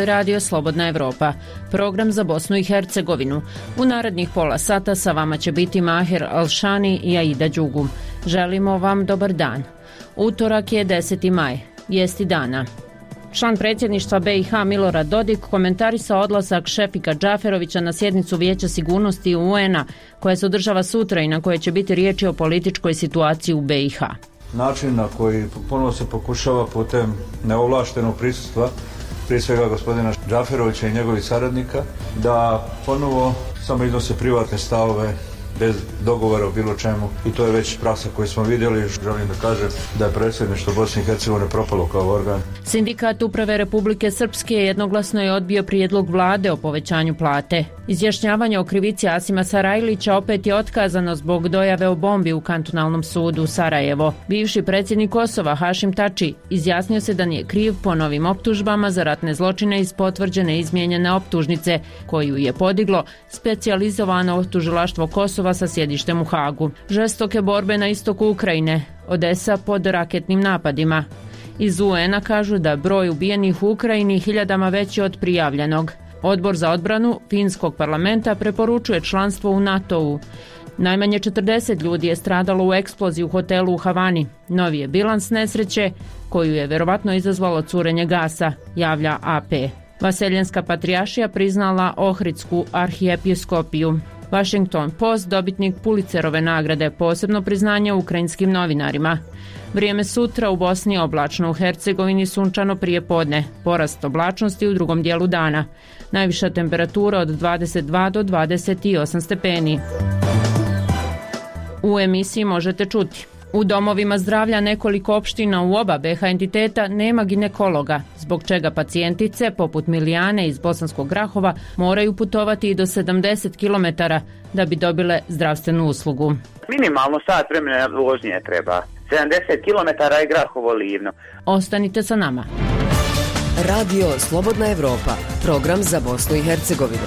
je radio Slobodna Evropa, program za Bosnu i Hercegovinu. U narednih pola sata sa vama će biti Maher Alšani i Aida Đugum. Želimo vam dobar dan. Utorak je 10. maj, vijesti dana. Član predsjedništva BiH Milorad Dodik komentarisao odlazak Šefika Džaferovića na sjednicu Vijeća sigurnosti UN-a koja se održava sutra i na kojoj će biti riječi o političkoj situaciji u BiH. Način na koji ponovo se pokušava putem neovlaštenog prisustva, prije svega gospodina Džaferovića i njegovih saradnika, da ponovo samo iznose privatne stavove bez dogovora o bilo čemu, i to je već praksa koju smo vidjeli. Želim da kažem da je predsjedništvo Bosne i Hercegovine propalo kao organ. Sindikat Uprave Republike Srpske jednoglasno je odbio prijedlog vlade o povećanju plate. Izjašnjavanje o krivici Asima Sarajlića opet je otkazano zbog dojave o bombi u kantonalnom sudu Sarajevo. Bivši predsjednik Kosova Hašim Tači izjasnio se da nije kriv po novim optužbama za ratne zločine iz potvrđene izmijenjene optužnice koju je podiglo specijalizovano tužilaštvo Kosova sa sjedištem u Hagu. Žestoke borbe na istoku Ukrajine, Odesa pod raketnim napadima. Iz UN-a kažu da broj ubijenih u Ukrajini hiljadama veći od prijavljenog. Odbor za odbranu Finskog parlamenta preporučuje članstvo u NATO-u. Najmanje 40 ljudi je stradalo u eksploziji u hotelu u Havani. Novi je bilans nesreće koju je verovatno izazvalo curenje gasa, javlja AP. Vaseljenska patrijaršija priznala Ohridsku arhijepiskopiju. Washington Post, dobitnik Pulitzerove nagrade, posebno priznanje ukrajinskim novinarima. Vrijeme sutra u Bosni oblačno, u Hercegovini sunčano prije podne, porast oblačnosti u drugom dijelu dana. Najviša temperatura od 22 do 28 stepeni. U emisiji možete čuti: u domovima zdravlja nekoliko opština u oba BiH entiteta nema ginekologa, zbog čega pacijentice, poput Milijane iz Bosanskog Grahova, moraju putovati i do 70 km da bi dobile zdravstvenu uslugu. Minimalno sat vremena vožnje treba. 70 km i Grahovo Livno. Ostanite sa nama. Radio Slobodna Evropa, program za Bosnu i Hercegovinu.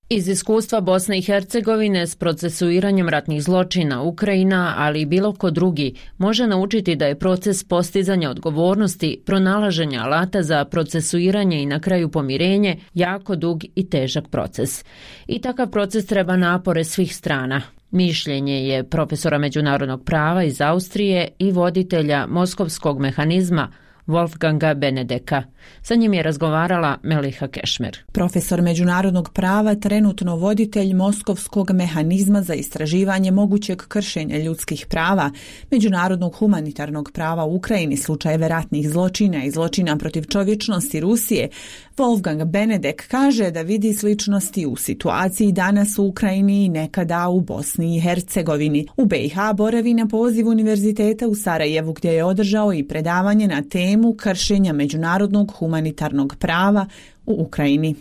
Iz iskustva Bosne i Hercegovine s procesuiranjem ratnih zločina Ukrajina, ali i bilo ko drugi, može naučiti da je proces postizanja odgovornosti, pronalaženja alata za procesuiranje i na kraju pomirenje jako dug i težak proces. I takav proces treba napore svih strana. Mišljenje je profesora međunarodnog prava iz Austrije i voditelja Moskovskog mehanizma Wolfganga Benedeka. Sa njim je razgovarala Meliha Kešmer. Profesor međunarodnog prava, trenutno voditelj Moskovskog mehanizma za istraživanje mogućeg kršenja ljudskih prava, međunarodnog humanitarnog prava u Ukrajini, slučajeve ratnih zločina i zločina protiv čovječnosti Rusije, Wolfgang Benedek kaže da vidi sličnosti u situaciji danas u Ukrajini i nekada u Bosni i Hercegovini. U BiH boravi na poziv Univerziteta u Sarajevu, gdje je održao i predavanje na temu kršenja međunarodnog humanitarnog prava u Ukrajini.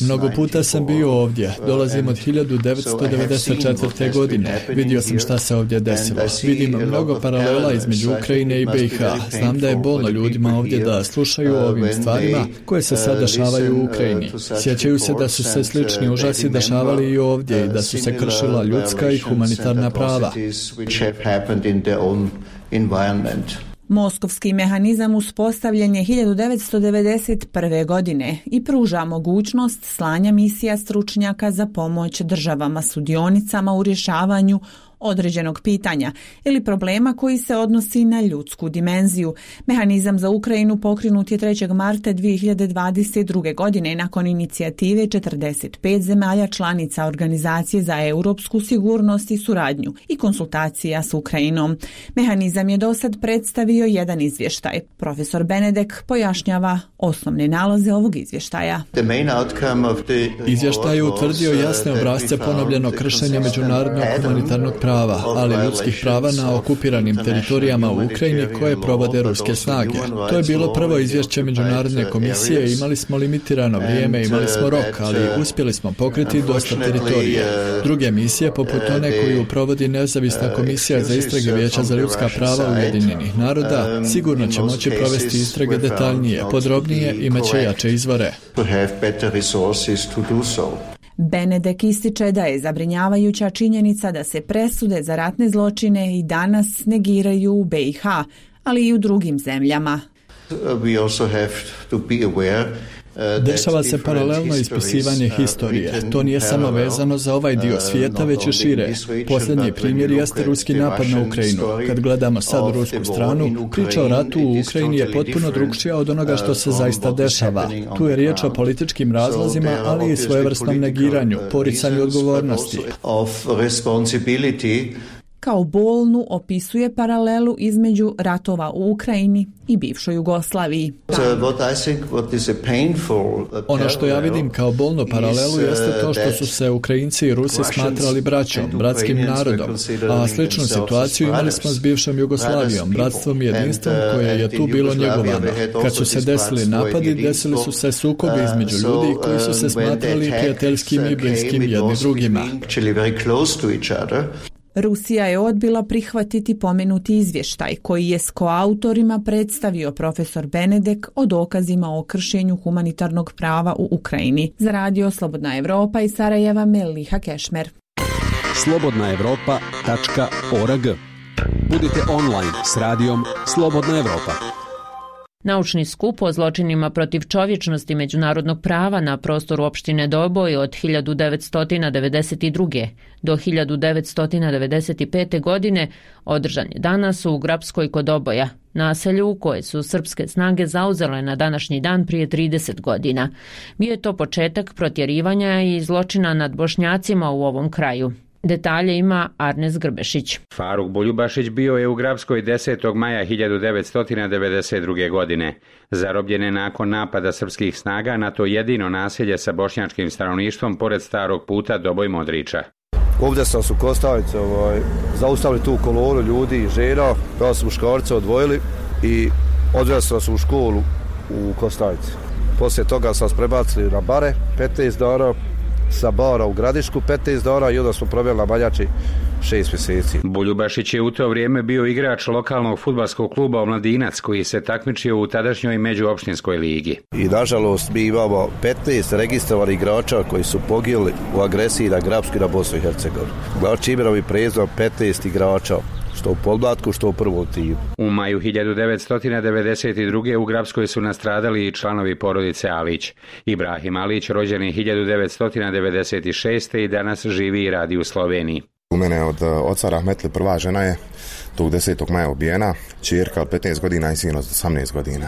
Mnogo puta sam bio ovdje. Dolazim od 1994. godine. Vidio sam šta se ovdje desilo. Vidim mnogo paralela između Ukrajine i BiH. Znam da je bolno ljudima ovdje da slušaju o ovim stvarima koje se sad dešavaju u Ukrajini. Sjećaju se da su se slični užasi dešavali i ovdje i da su se kršila ljudska i humanitarna prava. Moskovski mehanizam uspostavljen je 1991. godine i pruža mogućnost slanja misija stručnjaka za pomoć državama sudionicama u rješavanju određenog pitanja ili problema koji se odnosi na ljudsku dimenziju. Mehanizam za Ukrajinu pokrenut je 3. marta 2022. godine nakon inicijative 45 zemalja članica Organizacije za europsku sigurnost i suradnju i konsultacija s Ukrajinom. Mehanizam je dosad predstavio jedan izvještaj. Profesor Benedek pojašnjava osnovne nalaze ovog izvještaja. Izvještaj je utvrdio jasne obrasce ponovljenog kršenja međunarodnog humanitarnog prava, ali ljudskih prava na okupiranim teritorijama u Ukrajini koje provode ruske snage. To je bilo prvo izvješće Međunarodne komisije, imali smo limitirano vrijeme, imali smo rok, ali uspjeli smo pokriti dosta teritorije. Druge misije, poput one koju provodi nezavisna komisija za istrage Vijeća za ljudska prava Ujedinjenih naroda, sigurno će moći provesti istrage detaljnije, podrobnije i imaće jače izvore. Benedek ističe da je zabrinjavajuća činjenica da se presude za ratne zločine i danas negiraju u BiH, ali i u drugim zemljama. Dešava se paralelno ispisivanje historije. To nije samo vezano za ovaj dio svijeta, već i šire. Posljednji primjer jeste ruski napad na Ukrajinu. Kad gledamo sad rusku stranu, priča o ratu u Ukrajini je potpuno drukčija od onoga što se zaista dešava. Tu je riječ o političkim razlozima, ali i svojevrsnom negiranju, poricanju odgovornosti. Kao bolnu opisuje paralelu između ratova u Ukrajini i bivšoj Jugoslaviji. Ono što ja vidim kao bolnu paralelu jeste to što su se Ukrajinci i Rusi smatrali braćom, bratskim narodom, a sličnu situaciju imali smo s bivšom Jugoslavijom, bratstvom i jedinstvom koje je tu bilo njegovano. Kad su se desili napadi, desili su se sukobi između ljudi koji su se smatrali prijateljskim i bliskim jedni drugima. Rusija je odbila prihvatiti pomenuti izvještaj koji je s koautorima predstavio profesor Benedek o dokazima o kršenju humanitarnog prava u Ukrajini. Za Radio Slobodna Evropa iz Sarajeva, Meliha Kešmer. slobodnaevropa.org. Budite online s radijom Slobodna Evropa. Naučni skup o zločinima protiv čovječnosti međunarodnog prava na prostoru opštine Doboj od 1992. do 1995. godine održan je danas u Grabskoj kod Doboja, naselju koje su srpske snage zauzele na današnji dan prije 30 godina. Bio je to početak protjerivanja i zločina nad Bošnjacima u ovom kraju. Detalje ima Arnes Grbešić. Faruk Buljubašić bio je u Grabskoj 10. maja 1992. godine. Zarobljen je nakon napada srpskih snaga na to jedino naselje sa bošnjačkim stanovništvom pored starog puta Doboj-Modriča. Ovdje sam su Kostavice zaustavili tu kolonu ljudi i žena, kada su muškarce odvojili i odveli su u školu u Kostavice. Poslije toga sam prebacili na bare 15 dana, sa bara u Gradišku 15 dana i onda smo proveli na Baljači 6 mjeseci. Buljubašić je u to vrijeme bio igrač lokalnog fudbalskog kluba Omladinac koji se takmičio u tadašnjoj međuopštinskoj ligi. I nažalost mi imamo 15 registrovanih igrača koji su poginuli u agresiji na Grabsku i na Bosnu i Hercegovinu. Znači imenom i prezimenom 15 igrača, što u podmlatku, što u prvom timu. U maju 1992. u Grabskoj su nastradali i članovi porodice Alić. Ibrahim Alić, rođeni 1996. i danas živi i radi u Sloveniji. U mene od oca Rahmetli prva žena je tog 10. maja ubijena, ćerka od 15 godina i sin od 18 godina.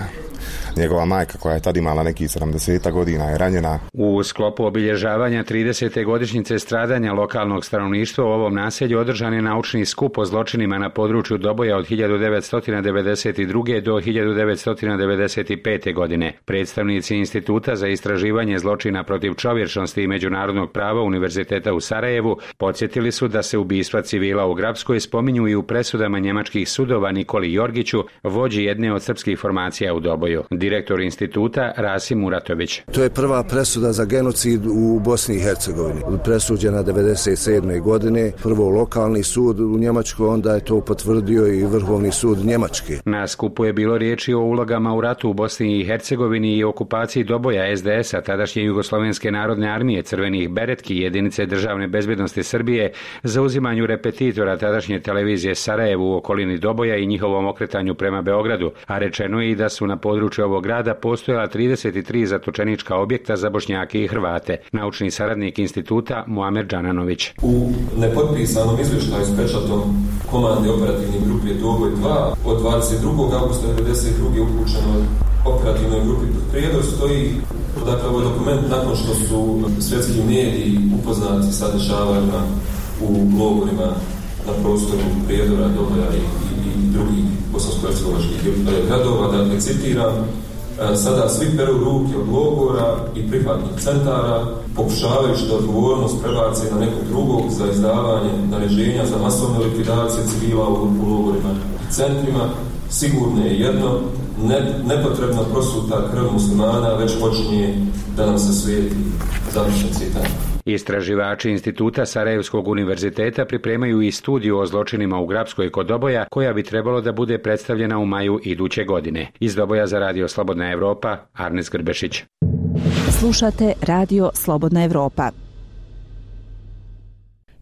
Njegova majka, koja je tad imala nekih 70 godina, je ranjena. U sklopu obilježavanja 30. godišnjice stradanja lokalnog stanovništva u ovom naselju održan je naučni skup o zločinima na području Doboja od 1992. do 1995. godine. Predstavnici Instituta za istraživanje zločina protiv čovječnosti i međunarodnog prava Univerziteta u Sarajevu podsjetili su da se ubistva civila u Grabskoj spominju i u presudama njemačkih sudova Nikoli Jorgiću, vođi jedne od srpskih formacija u Doboju. Direktor instituta Rasim Muratović. To je prva presuda za genocid u Bosni i Hercegovini. Presuđena 1997. godine, prvo lokalni sud u Njemačkoj, onda je to potvrdio i Vrhovni sud Njemačke. Na skupu je bilo riječi o ulogama u ratu u Bosni i Hercegovini i okupaciji Doboja SDS-a, tadašnje Jugoslovenske narodne armije, crvenih beretki i jedinice državne bezbjednosti Srbije, za uzimanju repetitora tadašnje televizije Sarajevu u okolini Doboja i njihovom okretanju prema Beogradu, a rečeno je i da su na području ovog grada postojala 33 zatočenička objekta za Bošnjake i Hrvate. Naučni saradnik instituta Muamer Džananović. U nepotpisanom izvještaju s pečatom komande operativne grupe Doboj 2 od 22. augusta 1992. upućenoj operativnoj grupi Prijedor stoji, dakle, ovaj dokument nakon što su svjetski mediji upoznati sa dešavanjima u logorima na prostoru Prijedora, Doboja i drugih bosansko-hercegovačkih gradova, dakle, citiram, sada svi peru ruke od logora i prihvatnih centara, pokušavajući da odgovornost prebace na nekog drugog za izdavanje naređenja za masovne likvidacije civila u logorima i centrima. Sigurno je jedno, nepotrebna prosuta krv muslimana već počinje da nam se svijeti. Završen citat. Istraživači Instituta Sarajevskog univerziteta pripremaju i studiju o zločinima u Grabskoj kod Doboja, koja bi trebalo da bude predstavljena u maju iduće godine. Iz Doboja za Radio Slobodna Evropa, Arnes Grbešić. Slušate Radio Slobodna Evropa.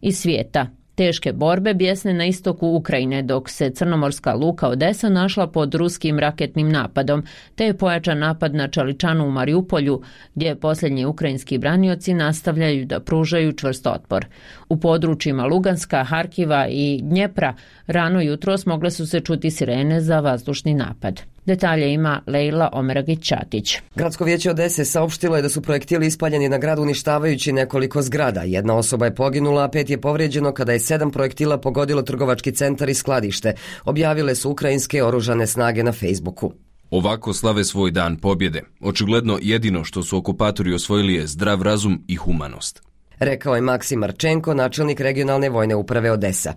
Iz svijeta. Teške borbe bjesne na istoku Ukrajine, dok se crnomorska luka Odesa našla pod ruskim raketnim napadom, te je pojačan napad na Čaličanu u Mariupolju, gdje posljednji ukrajinski branioci nastavljaju da pružaju čvrst otpor. U područjima Luganska, Harkiva i Dnjepra rano jutros mogle su se čuti sirene za vazdušni napad. Detalje ima Lejla Omeragić-Ćatić. Gradsko vijeće Odese saopštilo je da su projektili ispaljeni na grad uništavajući nekoliko zgrada. Jedna osoba je poginula, a 5 je povrijeđeno kada je 7 projektila pogodilo trgovački centar i skladište. Objavile su ukrajinske oružane snage na Facebooku. Ovako slave svoj dan pobjede. Očigledno jedino što su okupatori osvojili je zdrav razum i humanost. Rekao je Maksim Marčenko, načelnik regionalne vojne uprave Odesa.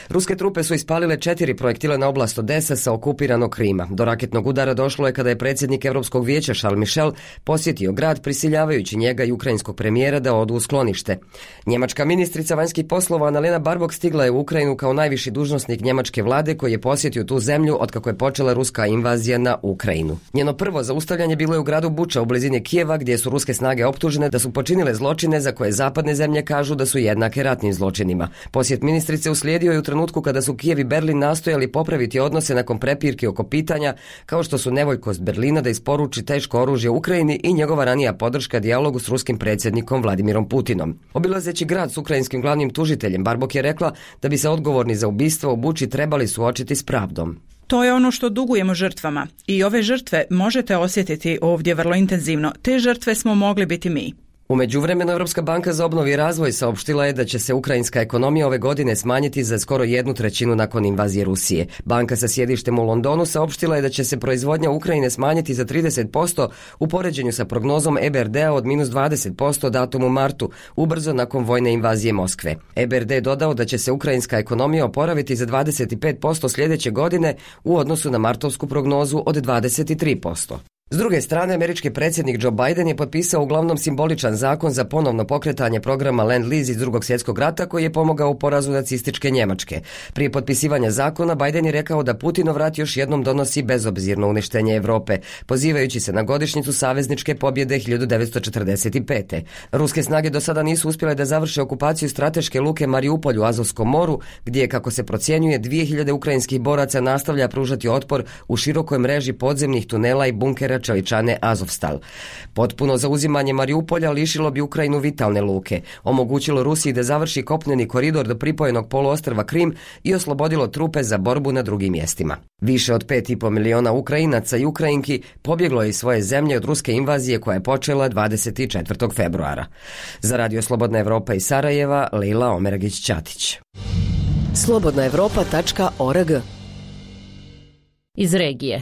Ruske trupe su ispalile 4 projektila na oblast Odesa sa okupiranog Krima. Do raketnog udara došlo je kada je predsjednik Europskog vijeća Charles Michel posjetio grad, prisiljavajući njega i ukrajinskog premijera da odu u sklonište. Njemačka ministrica vanjskih poslova Annalena Baerbock stigla je u Ukrajinu kao najviši dužnosnik njemačke vlade koji je posjetio tu zemlju otkako je počela ruska invazija na Ukrajinu. Njeno prvo zaustavljanje bilo je u gradu Buča u blizini Kijeva, gdje su ruske snage optužene da su počinile zločine za koje zapadne zemlje kažu da su jednake ratnim zločinima. Posjet ministrice uslijedio je u trenutku kada su Kijev i Berlin nastojali popraviti odnose nakon prepirki oko pitanja kao što su nevoljkost Berlina da isporuči teško oružje Ukrajini i njegova ranija podrška dijalogu s ruskim predsjednikom Vladimirom Putinom. Obilazeći grad s ukrajinskim glavnim tužiteljem, Baerbock je rekla da bi se odgovorni za ubistvo u Buči trebali suočiti s pravdom. To je ono što dugujemo žrtvama i ove žrtve možete osjetiti ovdje vrlo intenzivno. Te žrtve smo mogli biti mi. U međuvremenu Europska banka za obnovu i razvoj saopštila je da će se ukrajinska ekonomija ove godine smanjiti za skoro 1/3 nakon invazije Rusije. Banka sa sjedištem u Londonu saopštila je da će se proizvodnja Ukrajine smanjiti za 30% u poređenju sa prognozom EBRD-a od -20% datum u martu, ubrzo nakon vojne invazije Moskve. EBRD je dodao da će se ukrajinska ekonomija oporaviti za 25% sljedeće godine u odnosu na martovsku prognozu od 23%. S druge strane, američki predsjednik Joe Biden je potpisao uglavnom simboličan zakon za ponovno pokretanje programa Lend-Lease iz Drugog svjetskog rata koji je pomogao u porazu nacističke Njemačke. Prije potpisivanja zakona Biden je rekao da Putinov rat još jednom donosi bezobzirno uništenje Europe, pozivajući se na godišnjicu savezničke pobjede 1945. Ruske snage do sada nisu uspjele da završe okupaciju strateške luke Mariupolj u Azovskom moru, gdje, kako se procjenjuje, 2000 ukrajinskih boraca nastavlja pružati otpor u širokoj mreži podzemnih tunela i bunkera Čeličane Azovstal. Potpuno zauzimanje Mariupolja lišilo bi Ukrajinu vitalne luke, omogućilo Rusiji da završi kopneni koridor do pripojenog poluostrva Krim i oslobodilo trupe za borbu na drugim mjestima. Više od 5,5 miliona Ukrajinaca i Ukrajinki pobjeglo je iz svoje zemlje od ruske invazije koja je počela 24. februara. Za Radio Slobodna Evropa iz Sarajeva, Lejla Omeragić-Ćatić. slobodnaevropa.org. Iz regije.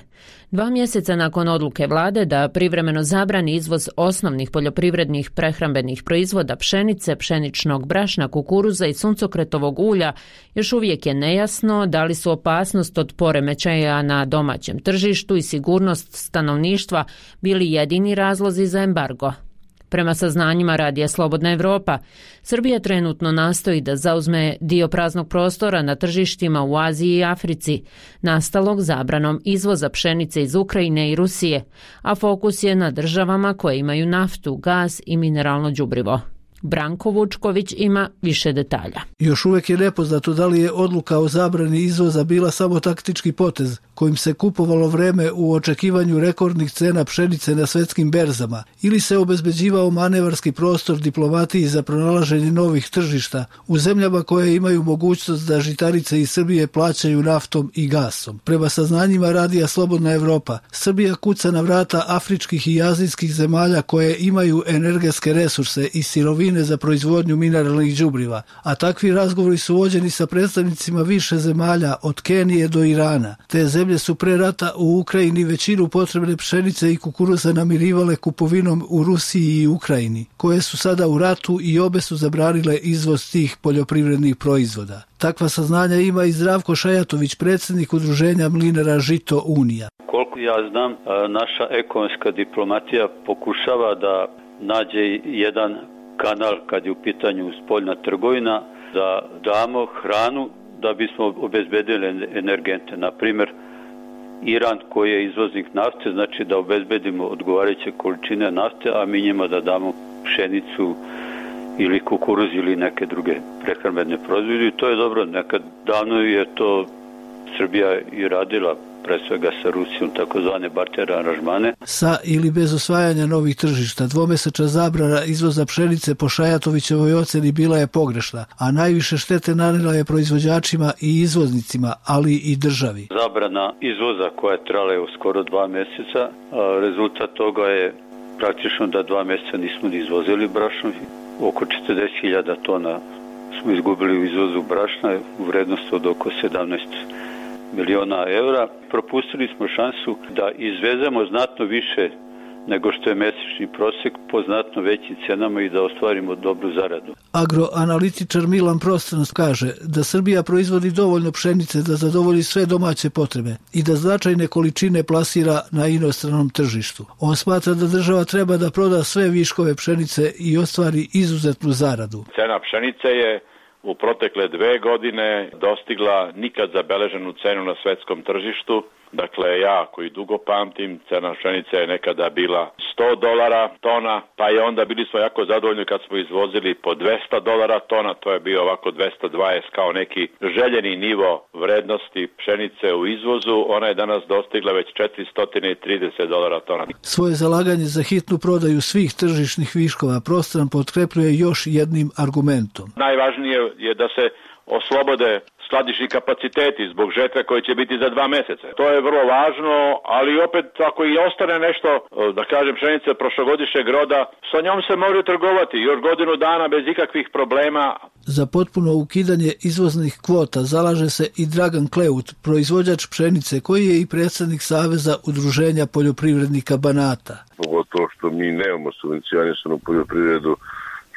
2 mjeseca nakon odluke vlade da privremeno zabrani izvoz osnovnih poljoprivrednih prehrambenih proizvoda pšenice, pšeničnog brašna, kukuruza i suncokretovog ulja, još uvijek je nejasno da li su opasnost od poremećaja na domaćem tržištu i sigurnost stanovništva bili jedini razlozi za embargo. Prema saznanjima Radija Slobodna Evropa, Srbija trenutno nastoji da zauzme dio praznog prostora na tržištima u Aziji i Africi, nastalog zabranom izvoza pšenice iz Ukrajine i Rusije, a fokus je na državama koje imaju naftu, gaz i mineralno đubrivo. Branko Vučković ima više detalja. Još uvijek je nepoznato da li je odluka o zabrani izvoza bila samo taktički potez kojim se kupovalo vreme u očekivanju rekordnih cena pšenice na svjetskim berzama ili se obezbeđivao manevarski prostor diplomatiji za pronalaženje novih tržišta u zemljama koje imaju mogućnost da žitarice iz Srbije plaćaju naftom i gasom. Prema saznanjima Radija Slobodna Evropa, Srbija kuca na vrata afričkih i azijskih zemalja koje imaju energetske resurse i sirovine za proizvodnju mineralnih đubriva, a takvi razgovori su vođeni sa predstavnicima više zemalja od Kenije do Irana. Te zemlje su pre rata u Ukrajini većinu potrebne pšenice i kukuruza namirivale kupovinom u Rusiji i Ukrajini, koje su sada u ratu i obe su zabranile izvoz tih poljoprivrednih proizvoda. Takva saznanja ima i Zdravko Šajatović, predsjednik udruženja mlinara Žito Unija. Koliko ja znam, naša ekonomska diplomatija pokušava da nađe jedan kanal kad je u pitanju spoljna trgovina, da damo hranu da bismo obezbedili energente. Na primjer, Iran koji je izvoznik nafte, znači da obezbedimo odgovarajuće količine nafte, a mi njima da damo pšenicu ili kukuruz ili neke druge prehrambene proizvode i to je dobro. Nekad davno je to Srbija i radila, pre svega sa Rusijom, takozvane barter aranžmane. Sa ili bez osvajanja novih tržišta, dvomesečna zabrana izvoza pšenice po Šajatovićevoj oceni bila je pogrešna, a najviše štete nanela je proizvođačima i izvoznicima, ali i državi. Zabrana izvoza koja je trajala skoro 2 mjeseca, rezultat toga je praktično da 2 mjeseca nismo ni izvozili brašno, oko 40.000 tona smo izgubili u izvozu brašna u vrednosti od oko 17 miliona eura. Propustili smo šansu da izvezemo znatno više nego što je mjesečni prosjek po znatno većim cenama i da ostvarimo dobru zaradu. Agroanalitičar Milan Prostranost kaže da Srbija proizvodi dovoljno pšenice da zadovolji sve domaće potrebe i da značajne količine plasira na inostranom tržištu. On smatra da država treba da proda sve viškove pšenice i ostvari izuzetnu zaradu. Cena pšenice je u protekle 2 godine dostigla nikad zabeleženu cenu na svetskom tržištu. Dakle, ja koji dugo pamtim, cena pšenice je nekada bila $100 tona, pa je onda bili smo jako zadovoljni kad smo izvozili po $200 tona, to je bio ovako 220 kao neki željeni nivo vrednosti pšenice u izvozu, ona je danas dostigla već $430 tona. Svoje zalaganje za hitnu prodaju svih tržišnih viškova Prostran potkrepljuje još jednim argumentom. Najvažnije je da se oslobode skladišni kapaciteti zbog žetve koje će biti za 2 mjeseca. To je vrlo važno, ali opet ako i ostane nešto, da kažem pšenice prošlogodišnjeg roda, sa njom se može trgovati još godinu dana bez ikakvih problema. Za potpuno ukidanje izvoznih kvota zalaže se i Dragan Kleut, proizvođač pšenice koji je i predsjednik Saveza udruženja poljoprivrednika Banata. Pogotovo što mi nemamo subvencionisanu poljoprivredu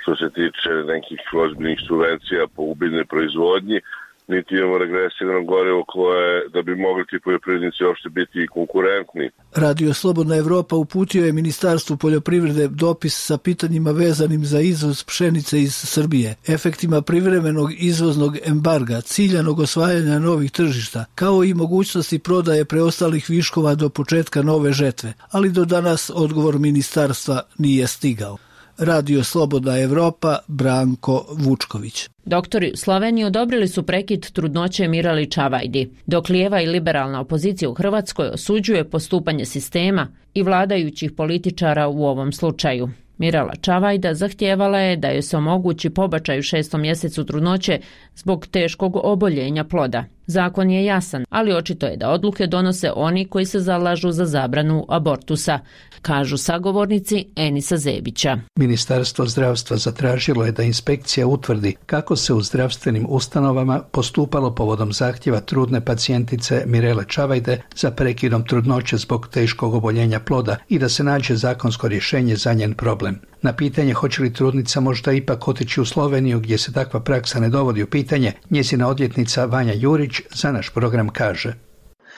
što se tiče nekih ozbiljnih subvencija po ubiljnoj proizvodnji, niti imamo regresivno gorivo koje da bi mogli ti poljoprivrednici uopšte biti konkurentni. Radio Slobodna Evropa uputio je Ministarstvu poljoprivrede dopis sa pitanjima vezanim za izvoz pšenice iz Srbije, efektima privremenog izvoznog embarga, ciljanog osvajanja novih tržišta, kao i mogućnosti prodaje preostalih viškova do početka nove žetve, ali do danas odgovor ministarstva nije stigao. Radio Slobodna Evropa, Branko Vučković. Doktori u Sloveniji odobrili su prekid trudnoće Mirali Čavajdi, dok lijeva i liberalna opozicija u Hrvatskoj osuđuje postupanje sistema i vladajućih političara u ovom slučaju. Mirala Čavajda zahtijevala je da joj se omogući pobačaj u 6. mjesecu trudnoće zbog teškog oboljenja ploda. Zakon je jasan, ali očito je da odluke donose oni koji se zalažu za zabranu abortusa, kažu sagovornici Enisa Zebića. Ministarstvo zdravstva zatražilo je da inspekcija utvrdi kako se u zdravstvenim ustanovama postupalo povodom zahtjeva trudne pacijentice Mirele Čavajde za prekidom trudnoće zbog teškog oboljenja ploda i da se nađe zakonsko rješenje za njen problem. Na pitanje hoće li trudnica možda ipak otići u Sloveniju gdje se takva praksa ne dovodi u pitanje, njezina odvjetnica Vanja Jurić za naš program kaže: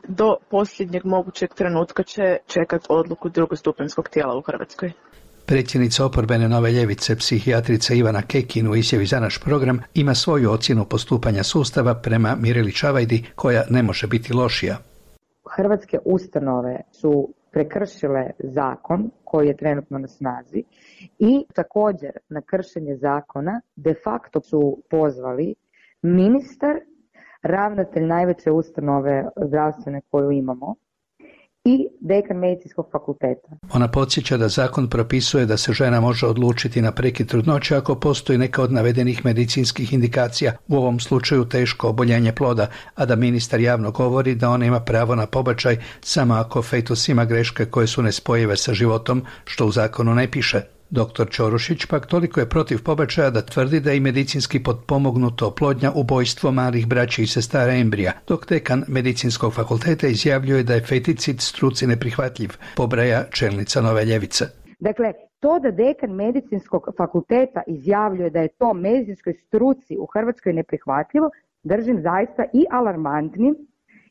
do posljednjeg mogućeg trenutka će čekati odluku drugostupanjskog tijela u Hrvatskoj. Predsjednica oporbene Nove ljevice, psihijatrica Ivana Kekin u izjavi za naš program ima svoju ocjenu postupanja sustava prema Mireli Čavajdi koja ne može biti lošija. Hrvatske ustanove su prekršile zakon koji je trenutno na snazi i također na kršenje zakona de facto su pozvali ministar, ravnatelj najveće ustanove zdravstvene koju imamo i dekan medicinskog fakulteta. Ona podsjeća da zakon propisuje da se žena može odlučiti na prekid trudnoće ako postoji neka od navedenih medicinskih indikacija, u ovom slučaju teško oboljenje ploda, a da ministar javno govori da ona ima pravo na pobačaj samo ako fetus ima greške koje su nespojive sa životom, što u zakonu ne piše. Dr. Ćorušić pak toliko je protiv pobačaja da tvrdi da je i medicinski potpomognuta oplodnja ubojstvo malih braća i sestara embrija, dok dekan medicinskog fakulteta izjavljuje da je feticid struci neprihvatljiv, pobraja čelnica Nove ljevice. Dakle, to da dekan medicinskog fakulteta izjavljuje da je to medicinskoj struci u Hrvatskoj neprihvatljivo, držim zaista i alarmantnim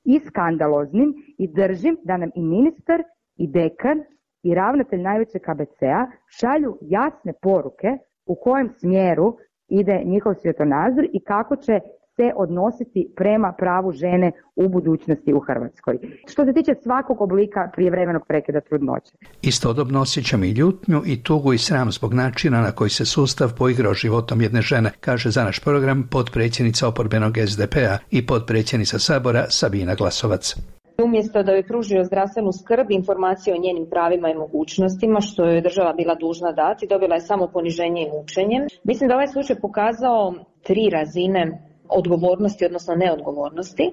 i skandaloznim i držim da nam i ministar i dekan i ravnatelj najvećeg KBC-a šalju jasne poruke u kojem smjeru ide njihov svjetonazor i kako će se odnositi prema pravu žene u budućnosti u Hrvatskoj. Što se tiče svakog oblika prijevremenog prekida trudnoće. Istodobno osjećam i ljutnju i tugu i sram zbog načina na koji se sustav poigrao životom jedne žene, kaže za naš program potpredsjednica oporbenog SDP-a i potpredsjednica Sabora Sabina Glasovac. Umjesto da joj pružio zdravstvenu skrb, informacije o njenim pravima i mogućnostima, što joj država bila dužna dati, dobila je samo poniženje i mučenje. Mislim da ovaj slučaj pokazao 3 razine odgovornosti, odnosno neodgovornosti.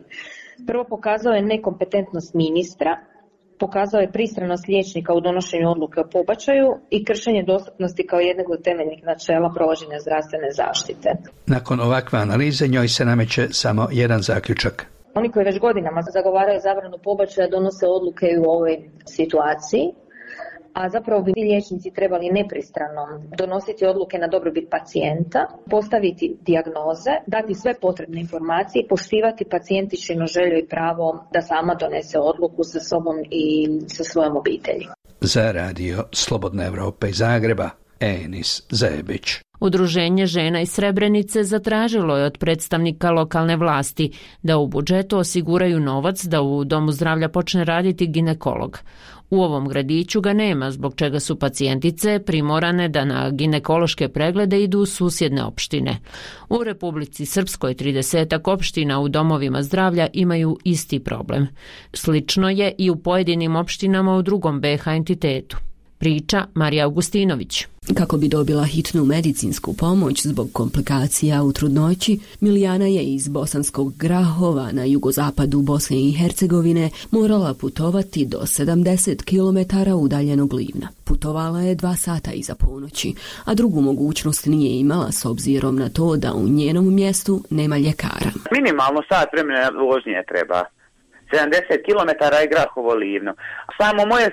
Prvo, pokazao je nekompetentnost ministra, pokazao je pristranost liječnika u donošenju odluke o pobačaju i kršenje dostupnosti kao jednog od temeljnih načela provođenja zdravstvene zaštite. Nakon ovakve analize njoj se nameće samo jedan zaključak. Oni koji već godinama zagovaraju zabranu pobačaja donose odluke i u ovoj situaciji, a zapravo bi liječnici trebali nepristrano donositi odluke na dobrobit pacijenta, postaviti dijagnoze, dati sve potrebne informacije, poštivati pacijentičinu želju i pravo da sama donese odluku sa sobom i sa svojom obitelji. Za radio Slobodna Evropa iz Zagreba, Enis Zebić. Udruženje žena iz Srebrenice zatražilo je od predstavnika lokalne vlasti da u budžetu osiguraju novac da u domu zdravlja počne raditi ginekolog. U ovom gradiću ga nema, zbog čega su pacijentice primorane da na ginekološke preglede idu u susjedne opštine. U Republici Srpskoj 30 opština u domovima zdravlja imaju isti problem. Slično je i u pojedinim opštinama u drugom BiH entitetu. Priča Marija Augustinović. Kako bi dobila hitnu medicinsku pomoć zbog komplikacija u trudnoći, Milijana je iz Bosanskog Grahova na jugozapadu Bosne i Hercegovine morala putovati do 70 km udaljenog Livna. Putovala je 2 sata iza ponoći, a drugu mogućnost nije imala s obzirom na to da u njenom mjestu nema ljekara. Minimalno sat vremena vožnje treba. 70 km i Grahovo Livno. Samo moje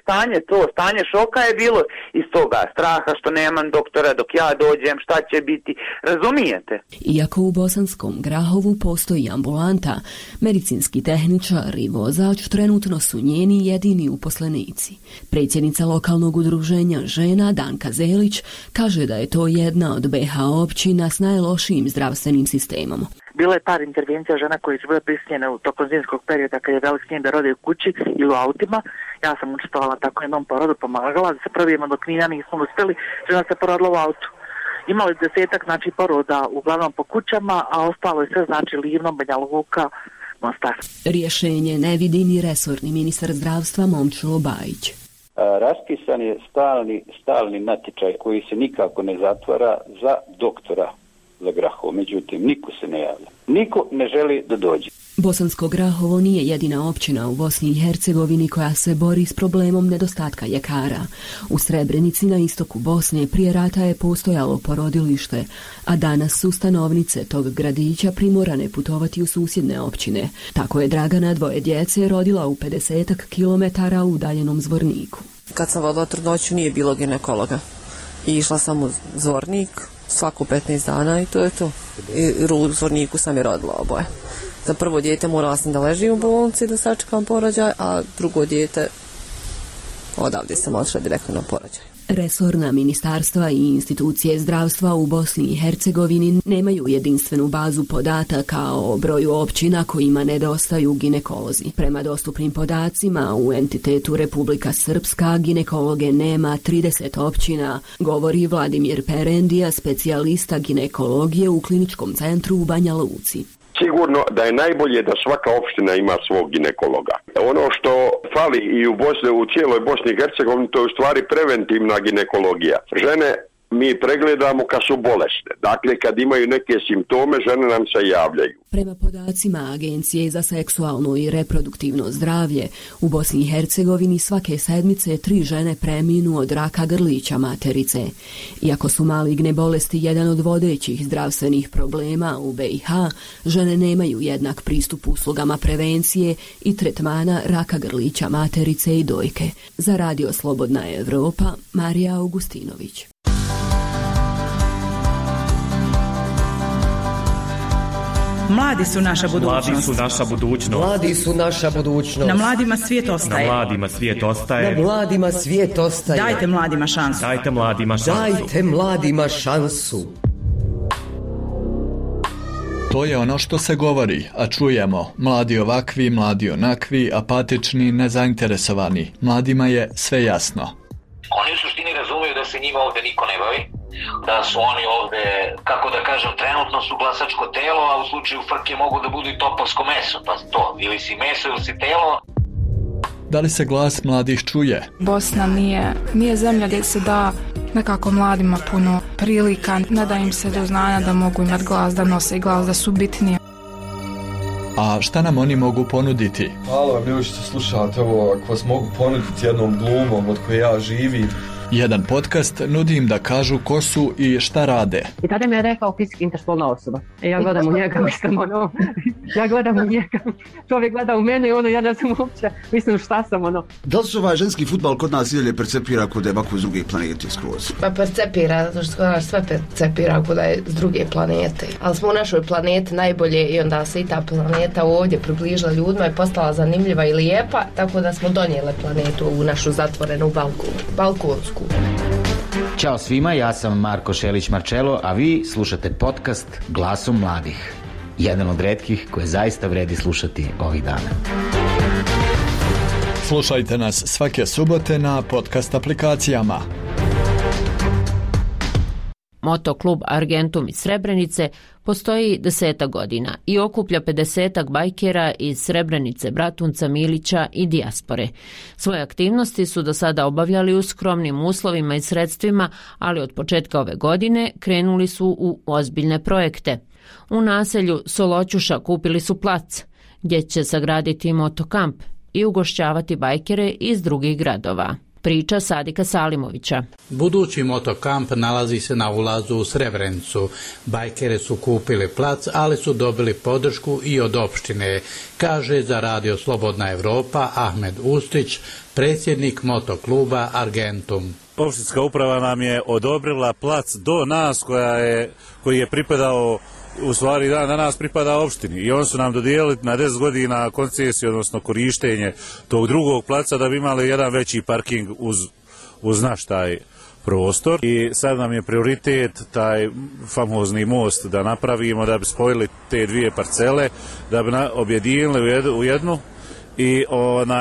stanje šoka je bilo iz toga straha što nemam doktora dok ja dođem, šta će biti, razumijete? Iako u Bosanskom Grahovu postoji ambulanta, medicinski tehničar i vozač trenutno su njeni jedini uposlenici. Predsjednica lokalnog udruženja žena Danka Zelić kaže da je to jedna od BiH općina s najlošijim zdravstvenim sistemom. Bilo je par intervencija žena koje su bile prisiljene u tokom zimskog perioda kad je velik snijeg da rode u kući ili u autima. Ja sam učestvovala tako jednom porodu, pomagala da se prvijemo dok Knina nismo uspjeli, žena se porodila u autu. Imali 10 poroda uglavnom po kućama, a ostalo je sve Livno, Banja Luka, Mostar. Rješenje ne vidi ni resorni ministar zdravstva Momčilo Bajić. Raspisan je stalni natječaj koji se nikako ne zatvara za doktora za Grahovo, međutim niko se ne javlja. Niko ne želi da dođe. Bosansko Grahovo nije jedina općina u Bosni i Hercegovini koja se bori s problemom nedostatka ljekara. U Srebrenici na istoku Bosne prije rata je postojalo porodilište, a danas su stanovnice tog gradića primorane putovati u susjedne općine. Tako je Dragana 2 djece rodila u 50 km udaljenom Zvorniku. Kad sam vodila trudnoću nije bilo ginekologa. I išla sam u Zvornik svaku 15 dana i to je to. I u Zvorniku sam je rodila oboje. Za prvo dijete morala sam da ležim u bolnici da sačekam porođaj, a drugo dijete odavde sam odšla direktno na porođaj. Resorna ministarstva i institucije zdravstva u Bosni i Hercegovini nemaju jedinstvenu bazu podataka o broju općina kojima nedostaju ginekolozi. Prema dostupnim podacima, u entitetu Republika Srpska ginekologe nema 30 općina, govori Vladimir Perendija, specijalista ginekologije u kliničkom centru u Banja Luci. Sigurno da je najbolje da svaka opština ima svog ginekologa. Ono što fali i u cijeloj Bosni i Hercegovini, to je u stvari preventivna ginekologija. Žene mi pregledamo kad su bolesne. Dakle, kad imaju neke simptome, žene nam se javljaju. Prema podacima Agencije za seksualno i reproduktivno zdravlje, u Bosni i Hercegovini svake sedmice 3 žene preminu od raka grlića materice. Iako su maligne bolesti jedan od vodećih zdravstvenih problema u BiH, žene nemaju jednak pristup uslugama prevencije i tretmana raka grlića materice i dojke. Za radio Slobodna Evropa, Marija Augustinović. Mladi su naša budućnost. Mladi su naša budućnost. Mladi su naša budućnost. Na mladima svijet ostaje. Na mladima svijet ostaje. Na mladima svijet ostaje. Dajte mladima šansu. Dajte mladima šansu. Dajte mladima šansu. To je ono što se govori, a čujemo. Mladi ovakvi, mladi onakvi, apatični, nezainteresovani. Mladima je sve jasno. Oni u suštini razumiju da se njima ovde niko ne bavi, da su oni ovde, kako da kažem, trenutno su glasačko telo, a u slučaju frke mogu da budu i topovsko meso, pa to, ili si meso ili si telo. Da li se glas mladih čuje? Bosna nije zemlja gdje se da nekako mladima puno prilika, ne da im se do znanja da mogu imati glas, da nose glas, da su bitnije. A šta nam oni mogu ponuditi? Hvala vam ljudi što slušate ovo, ako vas mogu ponuditi jednom glumom od koje ja živim. Jedan podcast nudi im da kažu ko su i šta rade. I tada mi je rekao fizički interspolna osoba. Ja gledam u njega, ja gledam u njega. Čovjek gleda u mene i ja ne znam uopće, mislim šta sam Da li se ženski fudbal kod nas idalje percepira kod je ovako s druge planete skroz? Pa percepira, zato što sve percepira kod je s druge planete. Ali smo u našoj planeti najbolje i onda se i ta planeta ovdje približila ljudima i postala zanimljiva i lijepa, tako da smo donijeli planetu u našu zatvorenu balkonsku. Ćao svima, ja sam Marko Šelić-Marčelo, a vi slušate podcast Glasom mladih. Jedan od retkih koje zaista vredi slušati ovih dana. Slušajte nas svake subote na podcast aplikacijama. Motoklub Argentum iz Srebrenice postoji 10 godina i okuplja 50 bajkera iz Srebrenice, Bratunca, Milića i dijaspore. Svoje aktivnosti su do sada obavljali u skromnim uslovima i sredstvima, ali od početka ove godine krenuli su u ozbiljne projekte. U naselju Soloćuša kupili su plac, gdje će sagraditi motokamp i ugošćavati bajkere iz drugih gradova. Priča Sadika Salimovića. Budući motokamp nalazi se na ulazu u Srebrenicu. Bajkere su kupili plac, ali su dobili podršku i od opštine, kaže za Radio Slobodna Evropa Ahmed Ustić, predsjednik motokluba Argentum. Opštinska uprava nam je odobrila plac do nas koji je pripadao, u stvari danas pripada opštini, i oni su nam dodijelili na 10 godina koncesiju, odnosno korištenje tog drugog placa da bi imali jedan veći parking uz naš taj prostor. I sad nam je prioritet taj famozni most da napravimo, da bi spojili te dvije parcele, da bi objedinili u jednu i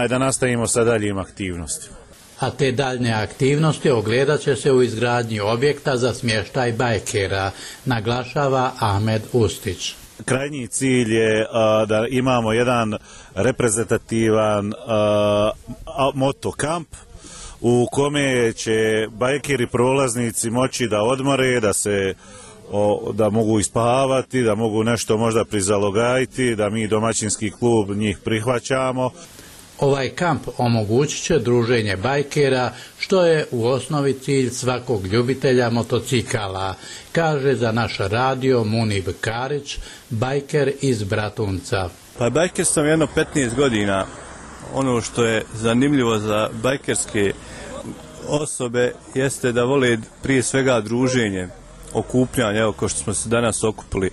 da nastavimo sa daljim aktivnostima. A te daljne aktivnosti ogledat će se u izgradnji objekta za smještaj bajkera, naglašava Ahmed Ustić. Krajnji cilj je da imamo jedan reprezentativan motokamp u kome će bajkeri prolaznici moći da odmore, da mogu ispavati, da mogu nešto možda prizalogajiti, da mi domaćinski klub njih prihvaćamo. Ovaj kamp omogućit će druženje bajkera, što je u osnovi cilj svakog ljubitelja motocikala, kaže za naš radio Munib Karić, bajker iz Bratunca. Pa bajker sam jedno 15 godina. Ono što je zanimljivo za bajkerske osobe jeste da vole prije svega druženje, okupljanje, evo kao što smo se danas okupili,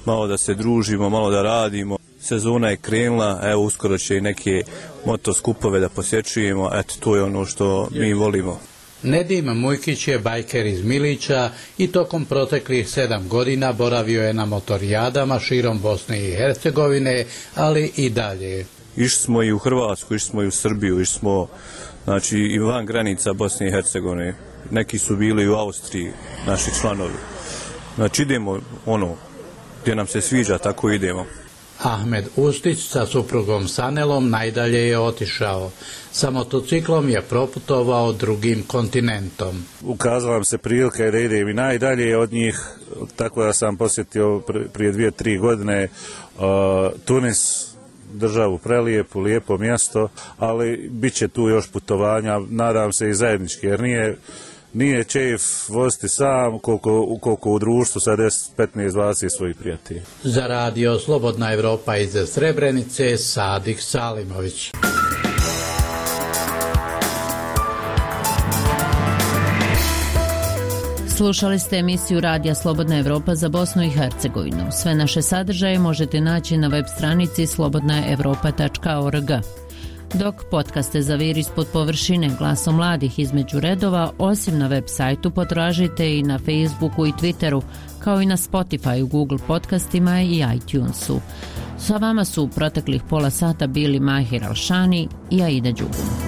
malo da se družimo, malo da radimo. Sezona je krenula, evo uskoro će i neke motoskupove da posjećujemo, eto to je ono što mi volimo. Nedim Mujkić je bajker iz Milića i tokom proteklih 7 godina boravio je na motorijadama širom Bosne i Hercegovine, ali i dalje. Išli smo i u Hrvatsku, išli smo i u Srbiju, išli smo i van granica Bosne i Hercegovine. Neki su bili i u Austriji, naši članovi. Znači idemo gdje nam se sviđa, tako idemo. Ahmed Ustić sa suprugom Sanelom najdalje je otišao. Sa motociklom je proputovao drugim kontinentom. Ukazala nam se prilika da idem i najdalje od njih, tako da sam posjetio prije 2-3 godine Tunis, državu prelijepu, lijepo mjesto, ali bit će tu još putovanja, nadam se i zajednički, jer nije čef voziti sam koliko u društvu sa 10, 15, 20 svojih prijatelja. Za Radio Slobodna Evropa iz Srebrenice, Sadik Salimović. Slušali ste emisiju Radija Slobodna Evropa za Bosnu i Hercegovinu. Sve naše sadržaje možete naći na web stranici slobodnaevropa.org. dok podcaste Zaviri ispod površine Glasom mladih između redova, osim na web sajtu, potražite i na Facebooku i Twitteru, kao i na Spotify, Google podcastima i iTunesu. Sa vama su u proteklih pola sata bili Mahir Alšani i Aida Đugum.